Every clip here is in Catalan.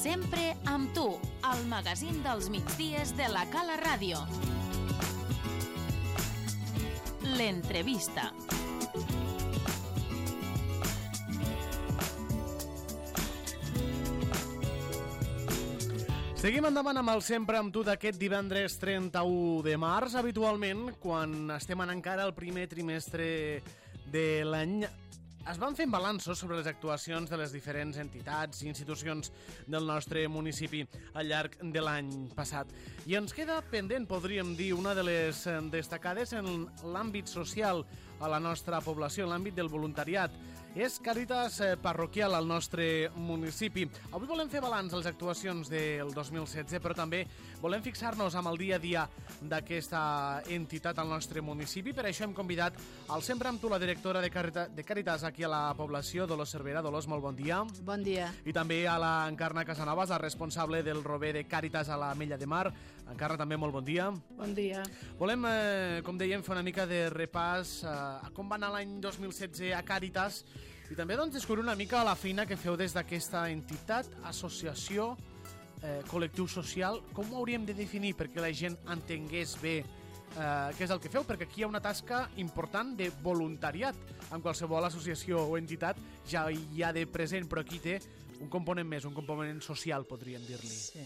Sempre amb tu, el magazín dels migdies de la Cala Ràdio. L'entrevista. Seguim endavant amb el Sempre amb tu d'aquest divendres 31 de març. Habitualment, quan estem en encara el primer trimestre de l'any, es van fent balanços sobre les actuacions de les diferents entitats i institucions del nostre municipi al llarg de l'any passat. I ens queda pendent, podríem dir, una de les destacades en l'àmbit social a la nostra població, en l'àmbit del voluntariat. És Càritas Parroquial al nostre municipi. Avui volem fer balanç de les actuacions del 2016, però també volem fixar-nos amb el dia a dia d'aquesta entitat al nostre municipi. Per això hem convidat al Sempre amb tu, la directora de Càritas aquí a la població, Dolors Cervera. Dolors, molt bon dia. Bon dia. I també a la Encarna Casanovas, la responsable del Rober de Càritas a la Mella de Mar. Encarna, també molt bon dia. Bon dia. Volem, com dèiem, fer una mica de repàs a com va anar l'any 2016 a Càritas i també doncs, descobrir una mica la feina que feu des d'aquesta entitat, associació, col·lectiu social. Com ho hauríem de definir perquè la gent entengués bé què és el que feu? Perquè aquí hi ha una tasca important de voluntariat. En qualsevol associació o entitat ja hi ha de present, però aquí té un component més, un component social, podríem dir-li. Sí.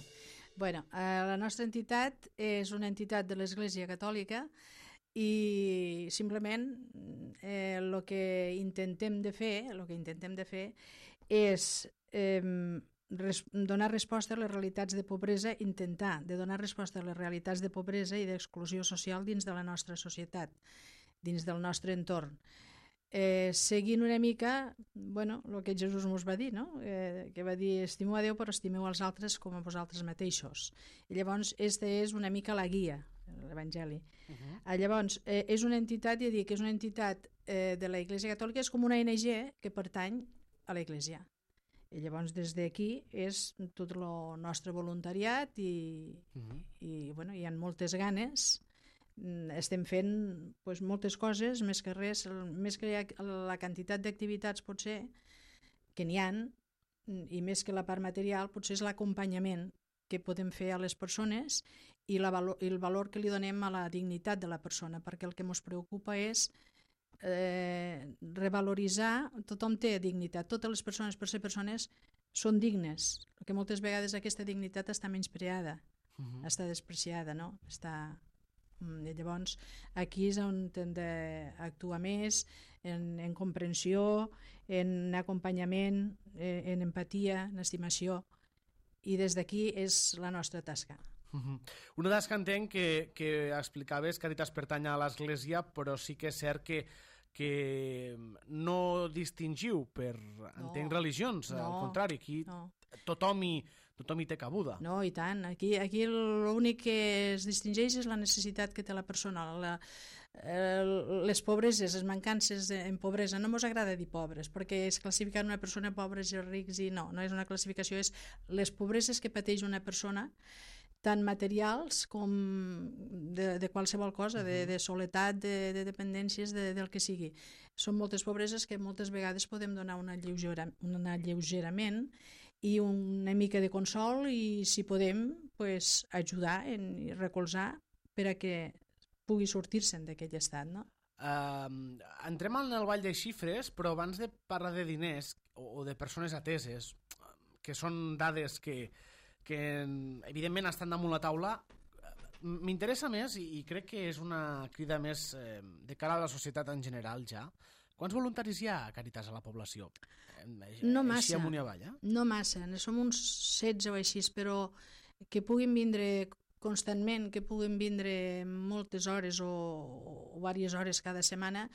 Bueno, la nostra entitat és una entitat de l'Església Catòlica i simplement el que intentem de fer és donar resposta a les realitats de pobresa, intentar de donar resposta a les realitats de pobresa i d'exclusió social dins de la nostra societat, dins del nostre entorn. Seguint una mica el que Jesús ens va dir, no? Que va dir: estimeu a Déu però estimeu als altres com a vosaltres mateixos. I llavors aquesta és una mica la guia, l'Evangeli. Llavors és una entitat, ja dic, és una entitat de la Iglesia Catòlica, és com una ONG que pertany a la Iglesia. I llavors des d'aquí és tot el nostre voluntariat i hi ha moltes ganes. Estem fent moltes coses, més que res, més que la quantitat d'activitats potser que n'hi ha, i més que la part material, potser és l'acompanyament que podem fer a les persones i el valor que li donem a la dignitat de la persona, perquè el que ens preocupa és revaloritzar. Tothom té dignitat, totes les persones, per ser persones, són dignes, perquè moltes vegades aquesta dignitat està menyspreada, està despreciada, no? Llavors aquí és on hem d'actuar més en comprensió, en acompanyament, en empatia, en estimació, i des d'aquí és la nostra tasca. Una tasca, entenc, que explicaves, Càritas pertany a l'Església, però sí que és cert que no distingiu per, entenc, religions, al contrari, aquí tothom hi té cabuda. No, i tant. Aquí l'únic que es distingeix és la necessitat que té la persona. Les pobreses, les mancances en pobresa, no ens agrada dir pobres, perquè es classifica una persona pobres i rics, i no és una classificació, és les pobreses que pateix una persona, tant materials com de qualsevol cosa, de soledat, de dependències, del que sigui. Són moltes pobreses que moltes vegades podem donar un alleugerament i una mica de consol, i si podem ajudar i recolzar per a que pugui sortir-se'n d'aquell estat, no? Entrem en el ball de xifres, però abans de parlar de diners o de persones ateses, que són dades que evidentment estan damunt la taula, m'interessa més, i crec que és una crida més de cara a la societat en general ja. Quants voluntaris hi ha a Càritas a la població? No massa. Així amunt i avall, No massa, som uns 16 o així, però que puguin vindre constantment, que puguin vindre moltes hores o diverses hores cada setmana,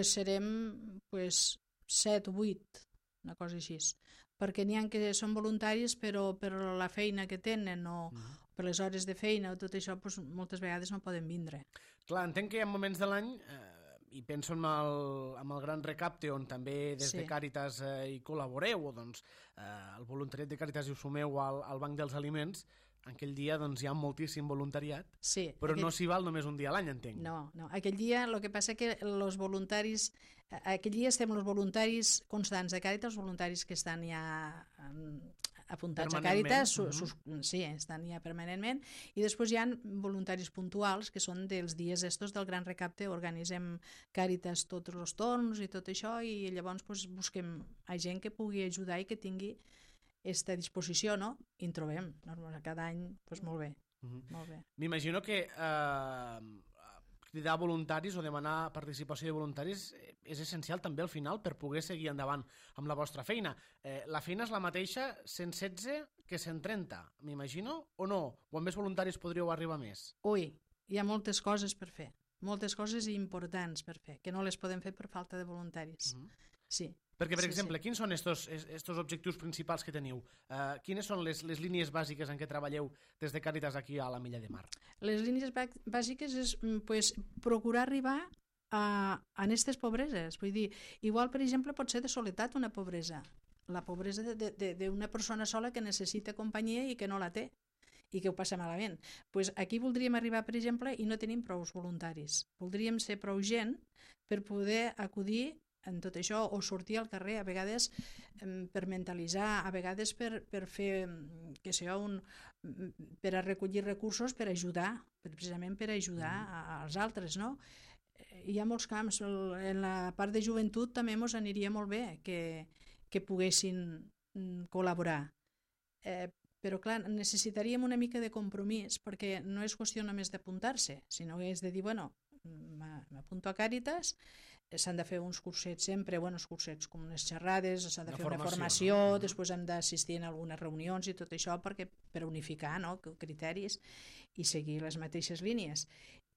serem 7 o 8, una cosa així, perquè n'hi ha que són voluntaris però per la feina que tenen o per les hores de feina o tot això, moltes vegades no poden vindre. Clar, entenc que hi ha moments de l'any, i penso en el Gran Recapte, on també des de Càritas hi col·laboreu, o el voluntariat de Càritas hi us sumeu al Banc dels Aliments. En aquell dia hi ha moltíssim voluntariat, però no s'hi val només un dia a l'any, entenc. No, aquell dia el que passa que els voluntaris, aquell dia estem els voluntaris constants de Càritas, els voluntaris que estan ja apuntats a Càritas, sí, estan ja permanentment, i després hi ha voluntaris puntuals, que són dels dies estos del gran recapte, organitzem Càritas tots els torns i tot això, i llavors busquem gent que pugui ajudar i que tingui aquesta disposició, no? I en trobem, cada any, molt bé. Molt bé. M'imagino que cridar voluntaris o demanar participació de voluntaris és essencial també al final per poder seguir endavant amb la vostra feina. La feina és la mateixa 116 que 130, m'imagino, o no? O amb més voluntaris podríeu arribar més? Ui, hi ha moltes coses per fer, moltes coses importants per fer, que no les podem fer per falta de voluntaris. Sí. Perquè, per exemple, quins són estos objectius principals que teniu? Quines són les línies bàsiques en què treballeu des de Càritas aquí a la Milla de Mar? Les línies bàsiques és procurar arribar a aquestes pobreses. Vull dir, igual, per exemple, pot ser de soledat una pobresa. La pobresa d'una persona sola que necessita companyia i que no la té i que ho passa malament. Aquí voldríem arribar, per exemple, i no tenim prou voluntaris. Voldríem ser prou gent per poder acudir en tot això, o sortir al carrer, a vegades per mentalitzar, a vegades per fer, per a recollir recursos, per ajudar, precisament per ajudar als altres, no? Hi ha molts camps, en la part de joventut també ens aniria molt bé que poguessin col·laborar. Però clar, necessitaríem una mica de compromís, perquè no és qüestió només d'apuntar-se, sinó que és de dir, bueno, m'apunto a Càritas, s'han de fer uns cursets sempre, uns cursets com unes xerrades, s'ha de fer una formació, després hem d'assistir en algunes reunions i tot això per unificar criteris i seguir les mateixes línies.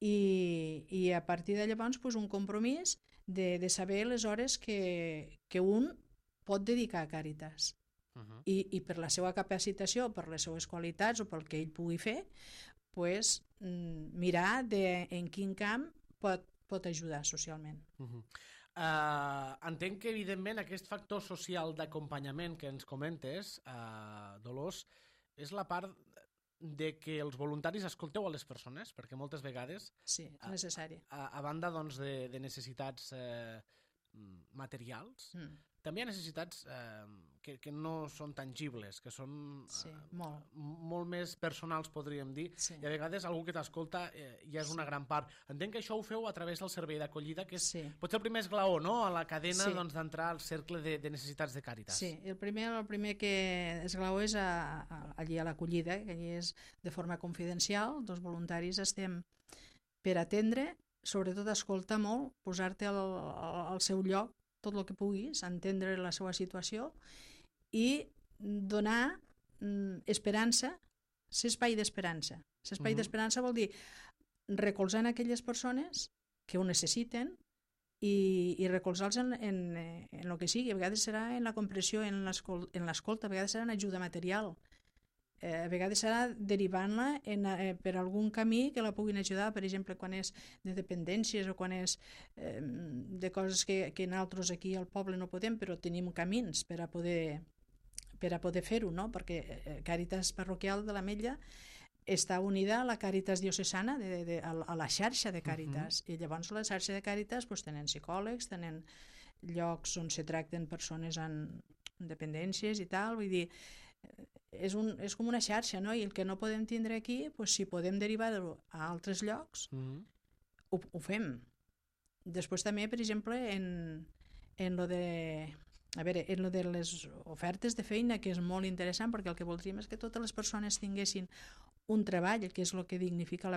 I a partir de llavors un compromís de saber les hores que un pot dedicar a Càritas. I per la seva capacitació, per les seues qualitats o pel que ell pugui fer, mirar en quin camp pot ajudar socialment. Entenc que, evidentment, aquest factor social d'acompanyament que ens comentes, Dolors, és la part de que els voluntaris escolteu a les persones, perquè moltes vegades... Sí, és necessari. A banda de necessitats materials, també hi ha necessitats que no són tangibles, que són molt més personals, podríem dir, i a vegades algú que t'escolta ja és una gran part. Entenc que això ho feu a través del servei d'acollida, que és potser el primer esglaó, no?, a la cadena d'entrar al cercle de necessitats de Càritas. Sí, el primer que esglaó és allí a l'acollida, que allí és de forma confidencial, els voluntaris estem per atendre, sobretot escoltar molt, posar-te al seu lloc, tot el que puguis, entendre la seva situació i donar esperança, ser espai d'esperança. Ser espai d'esperança vol dir recolzar aquelles persones que ho necessiten i recolzar-los en el que sigui. A vegades serà en la comprensió, en l'escolta, a vegades serà en ajuda material, a vegades serà derivant-la per algun camí que la puguin ajudar, per exemple, quan és de dependències o quan és de coses que nosaltres aquí al poble no podem, però tenim camins per a poder fer-ho, no? Perquè Càritas Parroquial de l'Ametlla està unida a la Càritas Diocesana, a la xarxa de Càritas, i llavors la xarxa de Càritas tenen psicòlegs, tenen llocs on se tracten persones amb dependències i tal, vull dir, és com una xarxa, no? I el que no podem tindre aquí, si podem derivar-ho a altres llocs, ho fem. Després també, per exemple, en lo de les ofertes de feina, que és molt interessant, perquè el que voldríem és que totes les persones tinguessin un treball, que és el que dignifica,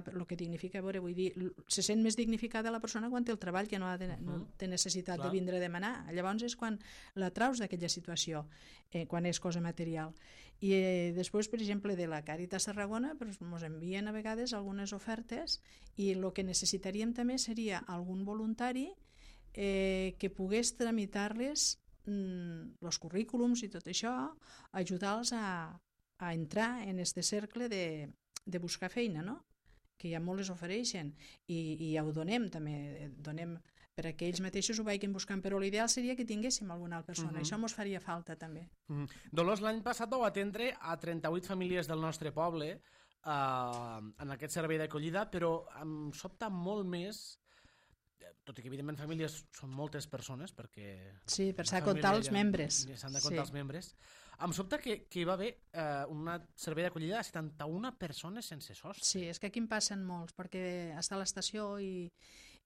vull dir, se sent més dignificada la persona quan té el treball, que no té necessitat de vindre a demanar. Llavors és quan la traus d'aquella situació, quan és cosa material. I després, per exemple, de la Càritas Tarragona ens envien a vegades algunes ofertes i el que necessitaríem també seria algun voluntari que pogués tramitar-les els currículums i tot això, ajudar-los a entrar en aquest cercle de buscar feina, no? Que ja molt les ofereixen i ja ho donem també, donem per a que ells mateixos ho vagin buscant, però l'ideal seria que tinguéssim alguna altra persona, això ens faria falta també. Dolors, l'any passat vau atendre a 38 famílies del nostre poble en aquest servei d'acollida, però em sobta molt més tot i que evidentment famílies són moltes persones, perquè... Sí, per s'ha de comptar els membres. S'han de comptar els membres. Em sobta que hi va haver un servei d'acollida de 71 persones sense sostre. Sí, és que aquí en passen molts, perquè està a l'estació i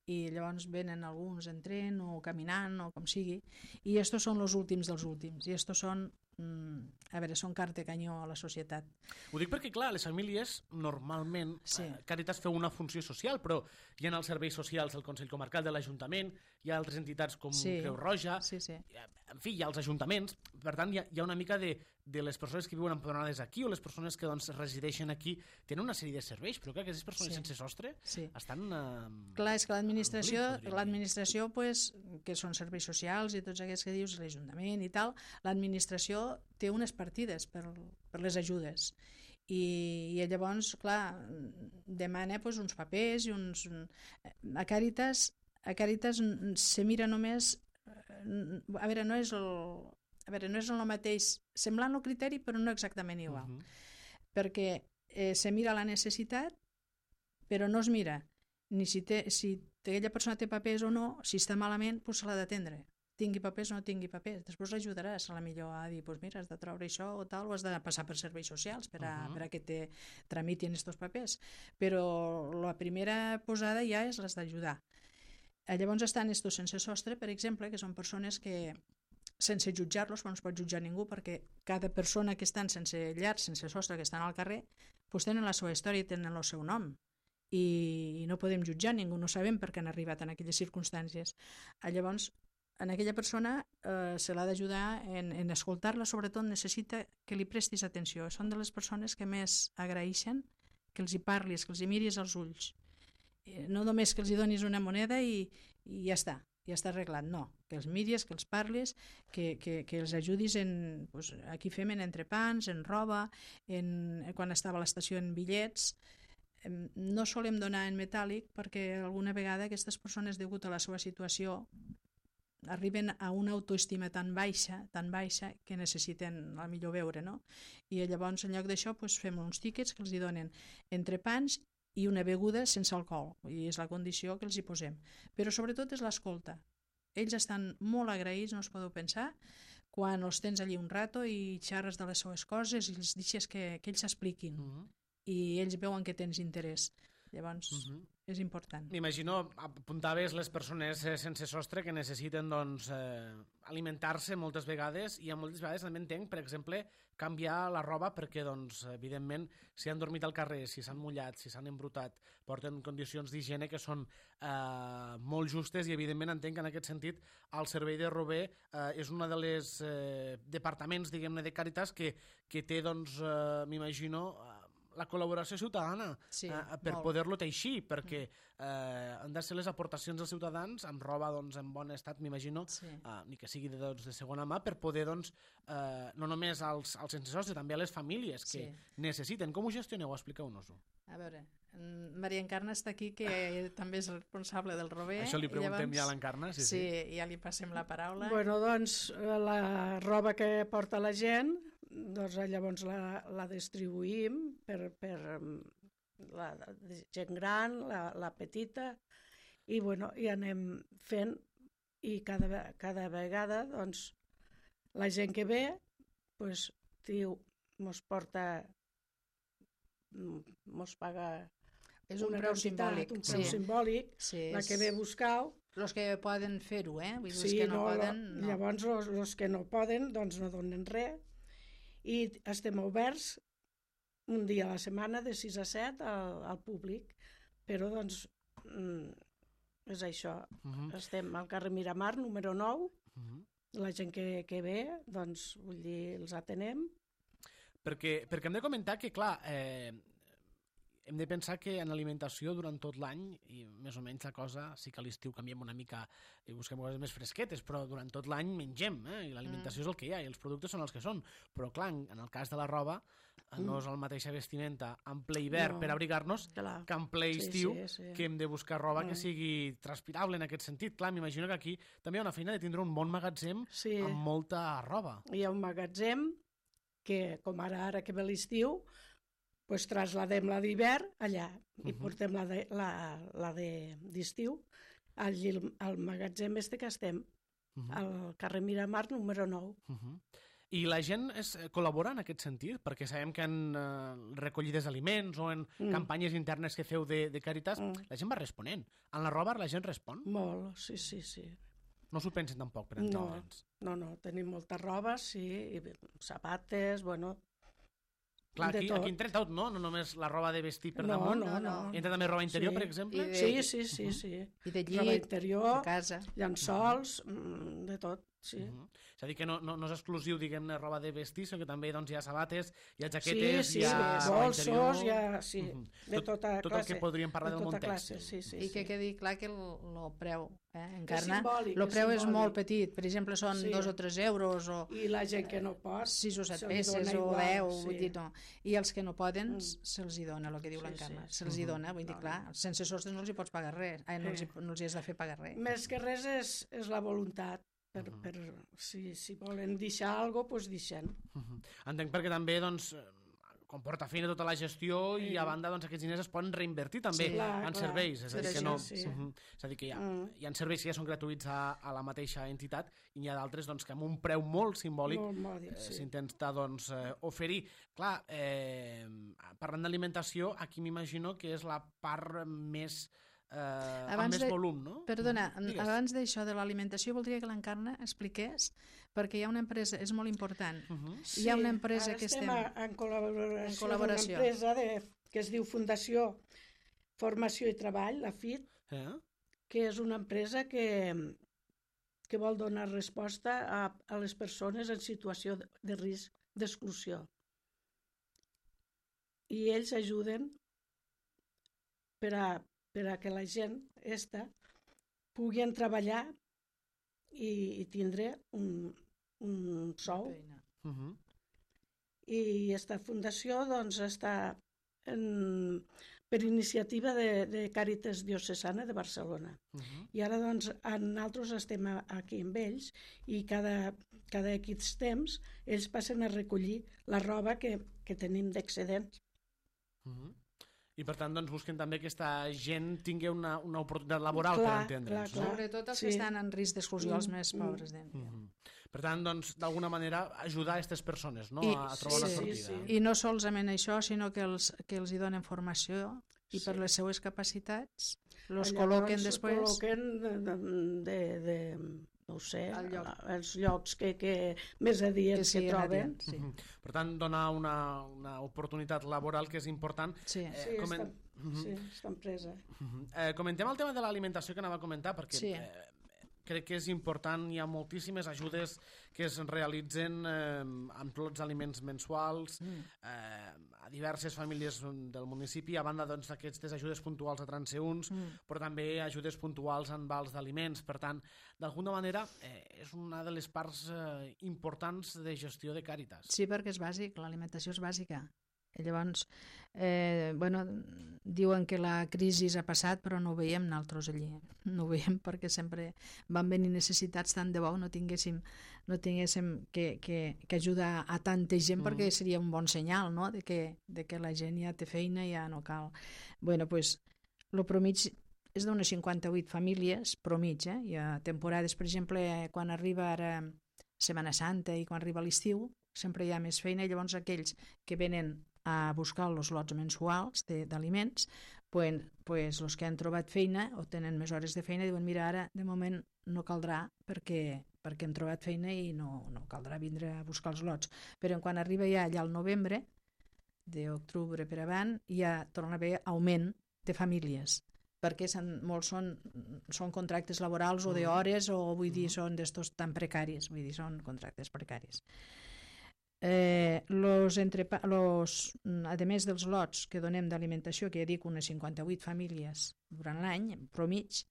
llavors venen alguns en tren o caminant o com sigui, i estos són els últims dels últims, i estos són, a veure, són carta canyó a la societat. Ho dic perquè, clar, les famílies normalment, Càritas feu una funció social, però hi ha els serveis socials del Consell Comarcal de l'Ajuntament, hi ha altres entitats com Creu Roja, en fi, hi ha els ajuntaments, per tant hi ha una mica de les persones que viuen empadronades aquí o les persones que resideixen aquí, tenen una sèrie de serveis, però que aquestes persones sense sostre estan... Clar, és que l'administració, que són serveis socials i tots aquests que dius, l'Ajuntament i tal, l'administració té unes partides per les ajudes. I llavors, clar, demana uns papers i uns... A Càritas se mira només... A veure, no és el mateix, semblant el criteri, però no exactament igual. Perquè se mira la necessitat, però no es mira ni si aquella persona té papers o no, si està malament, se l'ha d'atendre. Tingui papers o no tingui papers. Després l'ajudaràs a la millor a dir, mira, has de treure això o tal, o has de passar per serveis socials per a que te tramitin aquests papers. Però la primera posada ja és les d'ajudar. Llavors estan estos sense sostre, per exemple, que són persones que, sense jutjar-los, no es pot jutjar ningú, perquè cada persona que estan sense llar, sense sostre, que estan al carrer, tenen la seva història i tenen el seu nom. I no podem jutjar ningú, no sabem per què han arribat en aquelles circumstàncies. Llavors, en aquella persona se l'ha d'ajudar en escoltar-la, sobretot necessita que li prestis atenció. Són de les persones que més agraeixen que els hi parlis, que els hi miris als ulls. No només que els hi donis una moneda i ja està arreglat, no, que els miris, que els parlis, que els ajudis aquí fem en entrepans, en roba, quan estava a l'estació en bitllets. No solem donar en metàl·lic perquè alguna vegada aquestes persones, degut a la seva situació, arriben a una autoestima tan baixa que necessiten a millor veure, no? I llavors en lloc d'això fem uns tíquets que els hi donen entrepans i una beguda sense alcohol, i és la condició que els hi posem. Però sobretot és l'escolta. Ells estan molt agraïts, no us podeu pensar, quan els tens allí un rato i xerres de les seues coses i els deixes que ells s'expliquin. I ells veuen que tens interès. Llavors, és important. M'imagino, apuntaves les persones sense sostre que necessiten alimentar-se moltes vegades, i moltes vegades també entenc, per exemple, canviar la roba perquè, evidentment, si han dormit al carrer, si s'han mullat, si s'han embrutat, porten condicions d'higiene que són molt justes, i evidentment entenc que en aquest sentit el servei de Rober és un dels departaments, diguem-ne, de Càritas que té, m'imagino, la col·laboració ciutadana per poder-lo teixir, perquè han de ser les aportacions dels ciutadans amb roba en bon estat, m'imagino, ni que sigui de segona mà, per poder, no només als sense sostre, també a les famílies que necessiten. Com ho gestioneu? Expliqueu-nos-ho. A veure, Maria Encarna està aquí, que també és responsable del Rober. Això li preguntem ja a l'Encarna. Sí, ja li passem la paraula. Bueno, la roba que porta la gent, llavors la distribuïm per la gent gran, la petita, i anem fent, i cada vegada la gent que ve diu, mos paga és un preu simbòlic. Un preu simbòlic, la que ve a buscar-ho. Els que poden fer-ho, vull dir, els que no poden... Llavors, els que no poden, no donen res, i estem oberts un dia a la setmana de 6 a 7 al públic, però és això. Estem al carrer Miramar, número 9, la gent que ve, vull dir, els atenem. Perquè hem de comentar que, clar, hem de pensar que en alimentació durant tot l'any, i més o menys la cosa, sí que a l'estiu canviem una mica i busquem coses més fresquetes, però durant tot l'any mengem, i l'alimentació és el que hi ha, i els productes són els que són. Però, clar, en el cas de la roba, no és la mateixa vestimenta en ple hivern per abrigar-nos que en ple estiu, que hem de buscar roba que sigui transpirable en aquest sentit. Clar, m'imagino que aquí també hi ha una feina de tindre un bon magatzem amb molta roba. Hi ha un magatzem que, com ara que ve l'estiu, trasladem la d'hivern allà i portem la d'estiu al magatzem que estem, al carrer Miramar número 9. I la gent col·labora en aquest sentit? Perquè sabem que en recollides d'aliments o en campanyes internes que feu de Càritas, la gent va responent. En la roba la gent respon? Molt, sí. No s'ho pensen tampoc, per entendre'ns. No, tenim molta roba, sí, i sabates, bueno... Clar, aquí entra tot, no? No només la roba de vestir per damunt. No. Entra també roba interior, per exemple? Sí. I de llit, roba interior, de casa. llençols, de tot, sí. És a dir, que no és exclusiu, diguem-ne, roba de vestir, sinó que també hi ha sabates, hi ha jaquetes, hi ha bolsos, de tota classe. Tot el que podríem parlar del món tèxtil. I que quedi clar que el preu encarna, simbòlic, el preu és molt petit, per exemple són 2 o 3 euros o i la gent que no pot 6 o 7 peces o 10, vull dir, no. I els que no poden se'ls hi dona, el que diu l'encarna, se'ls hi dona, vull dir, clar, sense sostres no els hi pots pagar res, no els hi has de fer pagar res. Més que res és la voluntat. Si volen deixar alguna cosa, doncs deixen. Entenc perquè també comporta feina tota la gestió i a banda aquests diners es poden reinvertir també en serveis. És a dir, que no, és a dir, que hi ha serveis que ja són gratuïts a la mateixa entitat i n'hi ha d'altres que amb un preu molt simbòlic s'intenta oferir. Clar, parlant d'alimentació, aquí m'imagino que és la part més... amb més volum, no? Perdona, abans d'això de l'alimentació voldria que l'Encarna expliqués, perquè hi ha una empresa, és molt important, hi ha una empresa que estem en col·laboració amb una empresa que es diu Fundació Formació i Treball, la FIT, que és una empresa que vol donar resposta a les persones en situació de risc d'exclusió. I ells ajuden per a que la gent puguin treballar i tindre un sou. I aquesta fundació està per iniciativa de Càritas Diocesana de Barcelona. I ara nosaltres estem aquí amb ells i cada X temps ells passen a recollir la roba que tenim d'excedents. I per tant busquen també que aquesta gent tingui una oportunitat laboral, per entendre'ns. Sobretot els que estan en risc d'exclusió, els més pobres. Per tant, d'alguna manera, ajudar aquestes persones a trobar una sortida. I no solament això, sinó que els hi donen formació i per les seues capacitats els col·loquen després... no ho sé, els llocs que més adients que troben. Per tant, donar una oportunitat laboral que és important. Sí, està empresa. Comentem el tema de l'alimentació que anava a comentar, perquè crec que és important, hi ha moltíssimes ajudes que es realitzen amb lots d'aliments mensuals a diverses famílies del municipi, a banda d'aquestes ajudes puntuals a transeünts, però també ajudes puntuals en vals d'aliments. Per tant, d'alguna manera, és una de les parts importants de gestió de Càritas. Sí, perquè és bàsic, l'alimentació és bàsica. I llavors, diuen que la crisi ha passat, però no ho veiem nosaltres allí. No ho veiem perquè sempre van venir necessitats tant de bo, no tinguéssim que ajudar a tanta gent, perquè seria un bon senyal, no?, de que la gent ja té feina i ja no cal. Bueno, doncs, el promig és d'unes 58 famílies, promig, Hi ha temporades, per exemple, quan arriba ara Setmana Santa i quan arriba l'estiu, sempre hi ha més feina, i llavors aquells que venen a buscar els lots mensuals d'aliments, pues els que han trobat feina o tenen més hores de feina diuen, mira, ara de moment no caldrà perquè hem trobat feina i no caldrà vindre a buscar els lots. Però quan arriba ja allà al novembre, d'octubre per avant, ja torna a haver augment de famílies, perquè molts són contractes laborals o d'hores o vull dir, són d'estos tan precaris, vull dir, són contractes precaris. A més dels lots que donem d'alimentació, que ja dic unes 58 famílies durant l'any, promig,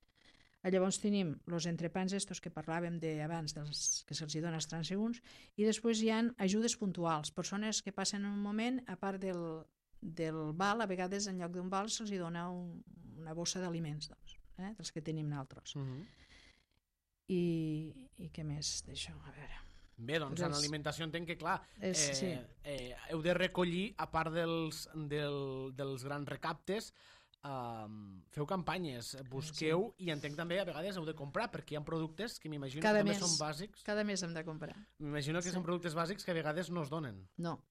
llavors tenim els entrepans estos que parlàvem abans, que se'ls dona als transeünts, i després hi ha ajudes puntuals, persones que passen un moment, a part del val, a vegades en lloc d'un val se'ls dona una bossa d'aliments, dels que tenim nosaltres. I què més d'això? A veure... Bé, doncs en alimentació entenc que, clar, heu de recollir, a part dels grans recaptes, feu campanyes, busqueu i entenc també a vegades heu de comprar perquè hi ha productes que m'imagino que també són bàsics. Cada mes hem de comprar. M'imagino que són productes bàsics que a vegades no es donen. No,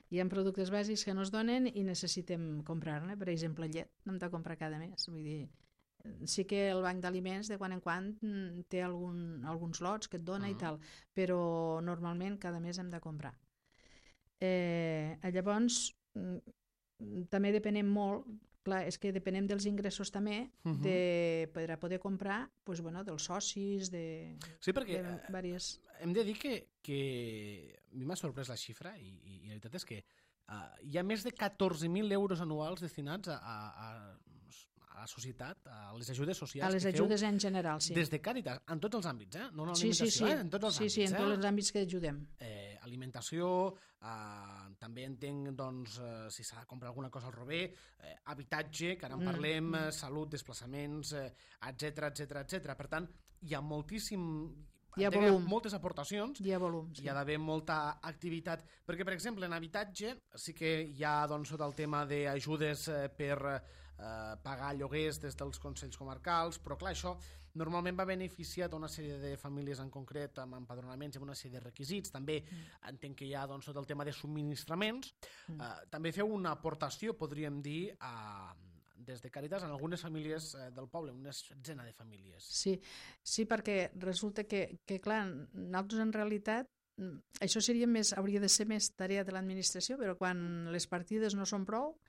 hi ha productes bàsics que no es donen i necessitem comprar-ne. Per exemple, llet n'hem de comprar cada mes. Vull dir, sí que el banc d'aliments de quan en quan té alguns lots que et dona i tal, però normalment cada mes hem de comprar. Llavors, també depenem molt, clar, és que depenem dels ingressos també per a poder comprar dels socis, sí, perquè diverses... hem de dir que a mi m'ha sorprès la xifra i la veritat és que hi ha més de 14.000 euros anuals destinats a la societat, a les ajudes socials. A les ajudes en general, sí. Des de Càritas, en tots els àmbits, no en l'alimentació, en tots els àmbits. Sí, en tots els àmbits que ajudem. Alimentació, també entenc si s'ha de comprar alguna cosa al rober, habitatge, que ara en parlem, salut, desplaçaments, etc. Per tant, hi ha moltíssim... Hi ha volum. Moltes aportacions. Hi ha volum, sí. Hi ha d'haver molta activitat. Perquè, per exemple, en habitatge sí que hi ha sota el tema d'ajudes per pagar lloguers des dels consells comarcals, però clar, això normalment va beneficiar una sèrie de famílies en concret amb empadronaments i amb una sèrie de requisits. També entenc que hi ha tot el tema de subministraments. També feu una aportació, podríem dir, des de Càritas en algunes famílies del poble, una setzena de famílies. Sí, perquè resulta que clar, nosaltres en realitat això hauria de ser més tarea de l'administració, però quan les partides no són prou,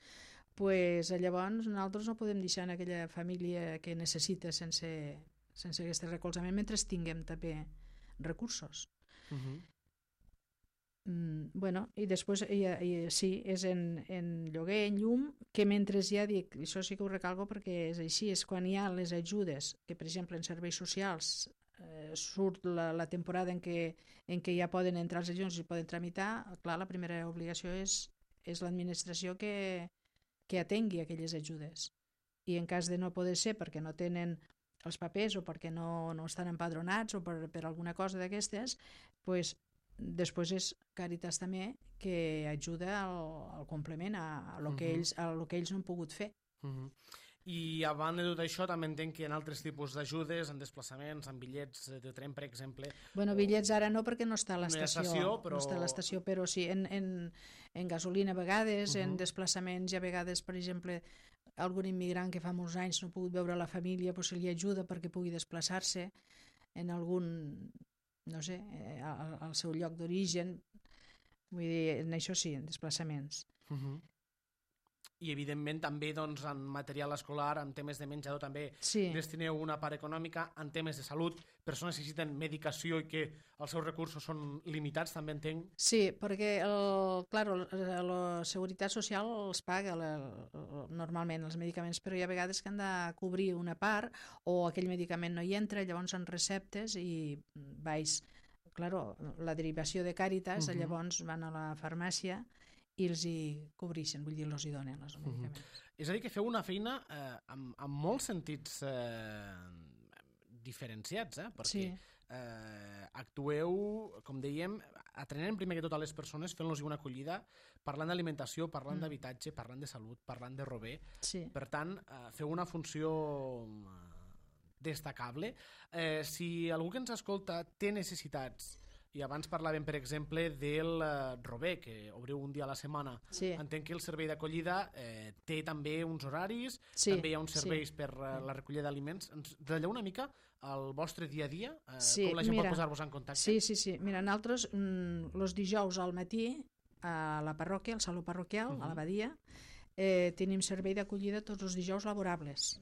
llavors nosaltres no podem deixar en aquella família que necessita sense aquest recolzament mentre tinguem també recursos. I després sí, és en lloguer, en llum, que mentre ja dic, això sí que ho recalco perquè és així, és quan hi ha les ajudes, que per exemple en serveis socials surt la temporada en què ja poden entrar els ajuts i poden tramitar, clar, la primera obligació és l'administració que atengui aquelles ajudes. I en cas de no poder ser perquè no tenen els papers o perquè no estan empadronats o per alguna cosa d'aquestes, després és Càritas també que ajuda al complement a lo que ells no han pogut fer. I a banda de tot això també entenc que hi ha altres tipus d'ajudes en desplaçaments, en bitllets de tren, per exemple. Bitllets ara no perquè no està a l'estació, però sí, en gasolina a vegades, en desplaçaments i a vegades, per exemple, algun immigrant que fa molts anys no ha pogut veure la família, se li ajuda perquè pugui desplaçar-se en algun, no sé, al seu lloc d'origen. Vull dir, en això sí, en desplaçaments. I evidentment també en material escolar, en temes de menjador també destineu una part econòmica, en temes de salut, persones que necessiten medicació i que els seus recursos són limitats, també entenc. Sí, perquè la Seguretat Social els paga normalment els medicaments, però hi ha vegades que han de cobrir una part o aquell medicament no hi entra, llavors en receptes i la derivació de Càritas, llavors van a la farmàcia i els hi cobreixen, vull dir, els hi donen els medicaments. És a dir, que feu una feina amb molts sentits diferenciats, perquè actueu, com dèiem, atrenent primer que tot a les persones, fent-los una acollida, parlant d'alimentació, parlant d'habitatge, parlant de salut, parlant de rober. Per tant, feu una funció destacable. Si algú que ens escolta té necessitats, i abans parlàvem, per exemple, del rober, que obriu un dia a la setmana. Entenc que el servei d'acollida té també uns horaris, també hi ha uns serveis per la recollida d'aliments. Ens detalleu una mica el vostre dia a dia? Com la gent pot posar-vos en contacte? Sí. Mira, nosaltres els dijous al matí a la parròquia, al saló parroquial, a l'abadia, tenim servei d'acollida tots els dijous laborables.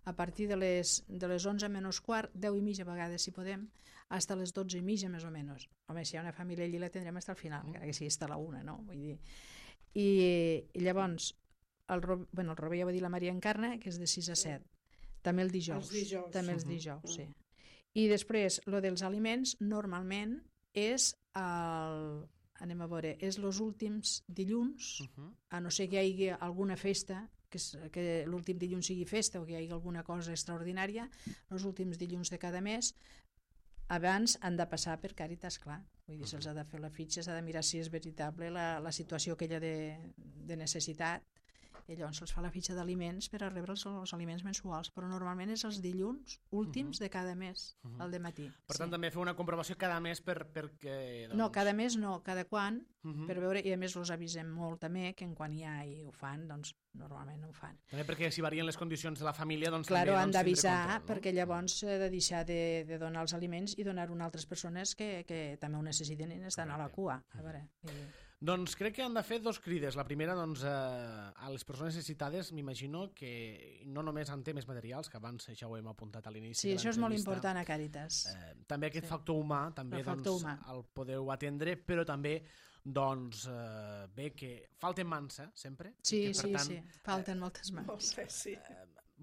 A partir de les 11 menys quart, 10 i mitja a vegades si podem, fins a les 12 i mitja més o menys. Home, si hi ha una família allí la tindrem fins al final, encara que sigui fins a la 1, no? Vull dir. I llavors el rober ja va dir la Maria Encarna, que és de 6 a 7. També el dijous. També els dijous, sí. I després, lo dels aliments, normalment és anem a veure, és els últims dilluns, a no ser que hi hagi alguna festa, que l'últim dilluns sigui festa o que hi hagi alguna cosa extraordinària, els últims dilluns de cada mes, abans han de passar per Càritas, clar. Vull dir, se'ls ha de fer la fitxa, s'ha de mirar si és veritable la situació aquella de necessitat i llavors se'ls fa la fitxa d'aliments per a rebre els aliments mensuals, però normalment és els dilluns últims de cada mes, al dematí. Per tant, també fer una comprovació cada mes perquè... No, cada mes no, cada quan, per veure, i a més els avisem molt també, que en quan hi ha i ho fan, doncs normalment ho fan. També perquè si varien les condicions de la família, doncs claro, han d'avisar, perquè llavors s'ha de deixar de donar els aliments i donar-ho a altres persones que també ho necessiten i estan a la cua. A veure... Doncs crec que han de fer dos crides. La primera, doncs, a les persones necessitades, m'imagino que no només en temes materials, que abans ja ho hem apuntat a l'inici. Sí, això és molt important a Càritas. També aquest factor humà, també doncs, el podeu atendre, però també doncs bé que falten mans, sempre. Sí, falten moltes mans.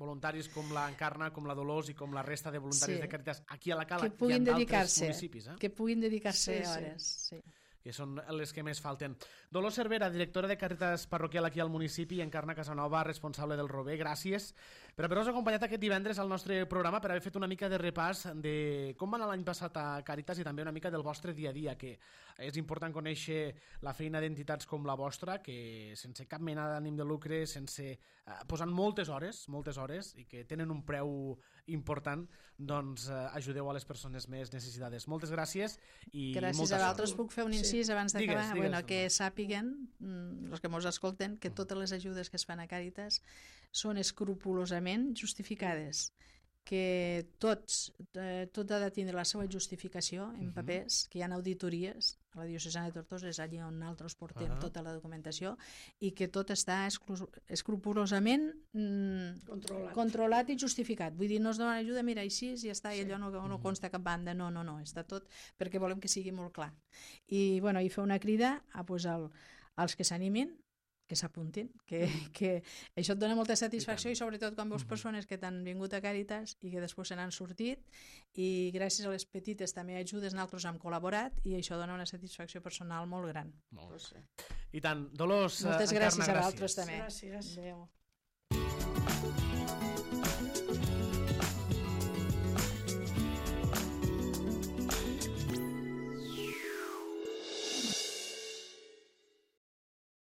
Voluntaris com la Encarna, com la Dolors i com la resta de voluntaris de Càritas aquí a la Cala i en d'altres municipis. Que puguin dedicar-se a hores, sí. Que són les que més falten. Dolors Cervera, directora de Càritas Parroquial aquí al municipi, i Encarna Casanova, responsable del Rober. Gràcies per haver-nos acompanyat aquest divendres al nostre programa, per haver fet una mica de repàs de com va anar l'any passat a Càritas i també una mica del vostre dia a dia, que és important conèixer la feina d'entitats com la vostra, que sense cap mena d'ànim de lucre, posant moltes hores, i que tenen un preu important, doncs ajudeu a les persones més necessitades. Moltes gràcies i molta sort. Gràcies a vosaltres. Puc fer un incís abans d'acabar? Que sàpiguen, els que ens escolten, que totes les ajudes que es fan a Càritas són escrupolosament justificades, que tot ha de tindre la seva justificació en papers, que hi ha auditories a la diocesana de Tortosa, és allà on nosaltres portem tota la documentació, i que tot està escrupolosament controlat i justificat. Vull dir, no es dona ajuda, mira, així ja està, i allò no consta cap banda, no, està tot perquè volem que sigui molt clar. I fer una crida als que s'animin, que s'apuntin, que això et dona molta satisfacció i sobretot quan veus persones que t'han vingut a Càritas i que després se n'han sortit, i gràcies a les petites també ajudes nosaltres hem col·laborat i això dona una satisfacció personal molt gran. I tant. Dolors, moltes gràcies a vosaltres també. Gràcies. Adéu.